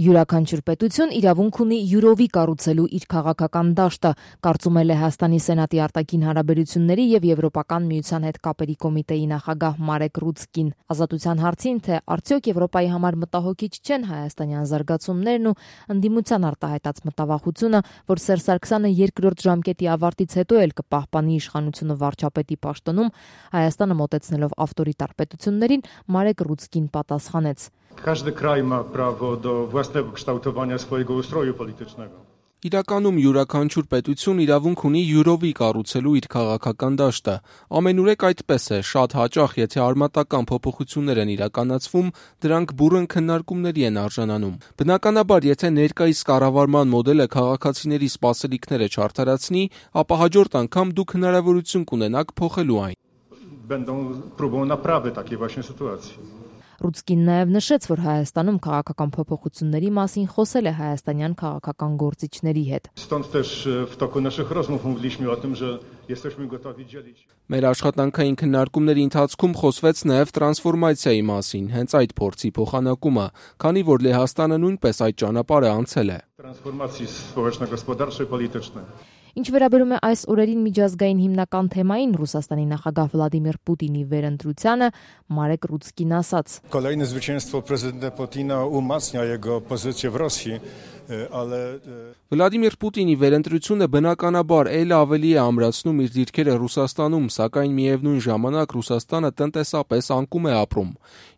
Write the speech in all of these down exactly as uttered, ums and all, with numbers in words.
Յուրաքանչյուր պետություն իրավունք ունի յուրովի կառուցելու իր քաղաքական դաշտը, կարծում է Լեհաստանի Սենատի արտաքին հարաբերությունների եւ Եվրոպական միության հետ կապերի կոմիտեի նախագահ Մարեկ Ռուցկին։ Ազատության հարցին, թե արդյոք Եվրոպայի համար մտահոգիչ չեն հայաստանյան զարգացումներն ու ընդդիմության արտահայտած մտավախությունը, որ Սերժ Սարգսյանը երկրորդ ժամկետի ավարտից հետո էլ կպահպանի իշխանությունը վարչապետի պաշտոնում, Հայաստանը մոտեցնելով ավտորիտար պետություններին, Մարեկ Ռուցկին պատասխանեց. Każdy kraj ma prawo do własnego kształtowania swojego ustroju politycznego. Իրականում յուրաքանչյուր պետություն իրավունք ունի յուրովի կառուցելու իր քաղաքական դաշտը։ Ամենուրեք այդպես է, շատ հաճախ, եթե արմատական փոփոխություններ են իրականացվում, դրանք բուռն քննարկումների են արժանանում։ Բնականաբար, եթե ներկայիս կառավարման մոդելը քաղաքացիների սպասելիքները չարդարացնի, ապա հաջորդ անգամ դուք հնարավորություն կունենաք փոխելու այն։ Będą próbą naprawy takiej właśnie sytuacji. Ռուցկին նաև նշեց, որ Հայաստանում քաղաքական փոփոխությունների մասին խոսել է հայաստանյան քաղաքական գործիչների հետ։ Stąd też w toku naszych rozmów mówiliśmy o tym, że jesteśmy gotowi dzielić. Մեր աշխատանքային քննարկումների ընթացքում խոսվեց նաև տրանսֆորմացիայի մասին, հենց այդ փորձի փոխանակումը, քանի որ Լեհաստանը նույնպես այդ ճանապարհը անցել է։ Transformacji społeczno-gospodarczej, politycznej. Ինչ վերաբերում է այս օրերին միջազգային հիմնական թեմային Ռուսաստանի նախագահ Վլադիմիր Պուտինի վերընտրությանը, Մարեկ Ռուցկին ասաց. Kolejne zwycięstwo prezydenta Putina umacnia jego pozycję w Rosji, ale Վլադիմիր Պուտինի վերընտրությունը բնականաբար ել ավելի է ամրացնում իր դիրքերը Ռուսաստանում, սակայն միևնույն ժամանակ Ռուսաստանը տնտեսապես անկում է ապրում։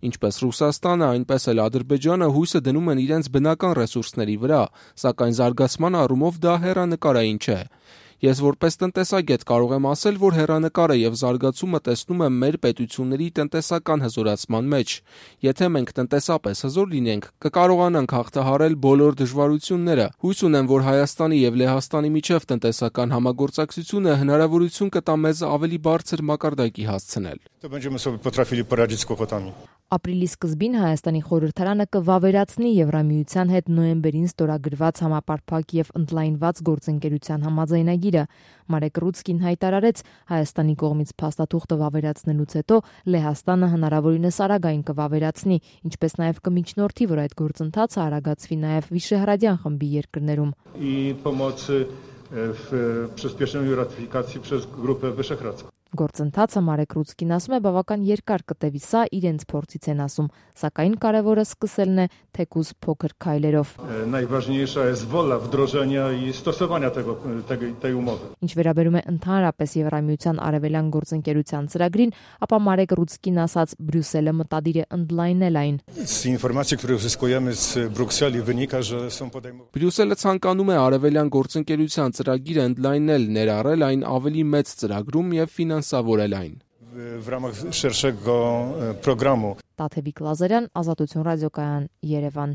Ինչպես Ռուսաստանը, այնպես էլ Ադրբեջանը հույսը դնում են իրենց բնական ռեսուրսների վրա, սակայն զարգացման առումով դա հեռանկարային չէ։ Ես որպես տնտեսագետ կարող եմ ասել, որ հեռանկարը եւ զարգացումը տեսնում եմ մեր պետությունների տնտեսական հզորացման մեջ։ Եթե մենք տնտեսապես հզոր լինենք, կկարողանանք հաղթահարել բոլոր դժվարությունները։ Հույս ունեմ, որ Հայաստանի եւ Լեհաստանի միջև տնտեսական համագործակցությունը հնարավորություն կտա մեզ ավելի բարձր մակարդակի հասցնել։ to będziemy sobie potrafili poradzić z kłopotami. Ապրիլի սկզբին Հայաստանի խորհրդարանը կվավերացնի Եվրամիության հետ նոյեմբերին ստորագրված համապարփակ եւ ընդլայնված գործընկերության համաձայնագիրը։ Մարեկ Ռուցկին հայտարարեց, Հայաստանի կողմից փաստաթուղթը վավերացնելուց հետո Լեհաստանը հնարավորինս արագ այն կվավերացնի, ինչպես նաեւ կմիջնորդի, որ այդ գործընթացը արագացվի նաեւ Վիշեհրադյան խմբի երկրներում։ I pomocy w przyspieszeniu ratyfikacji przez Grupę Wyszehradzką. Գործընթացը Մարեկ Ռուցկին ասում է բավական երկար կտևի, սա իրենց փորձից են ասում, սակայն կարևորը սկսելն է թեկուզ փոքր քայլերով։ Najważniejsza jest wola wdrożenia i stosowania tego, tej, tej umowy. Ինչ վերաբերում է ընդհանրապես Եվրամիության արևելյան գործընկերության ծրագրին, ապա Մարեկ Ռուցկին ասաց, Բրյուսելը մտադիր է ընդլայնել այն։ Z informacji, które uzyskujemy z Brukseli, wynika, że są podejmowane. Բրյուսելը ցանկանում է արևելյան գործընկերության ծրագիրը ընդլայնել, ներառել այն ավելի մեծ ծրագրում եւ ֆինանսավորել այն։ W ramach szerszego programu. Տաթևիկ Լազարյան, Ազատություն ռադիոկայան, Երևան։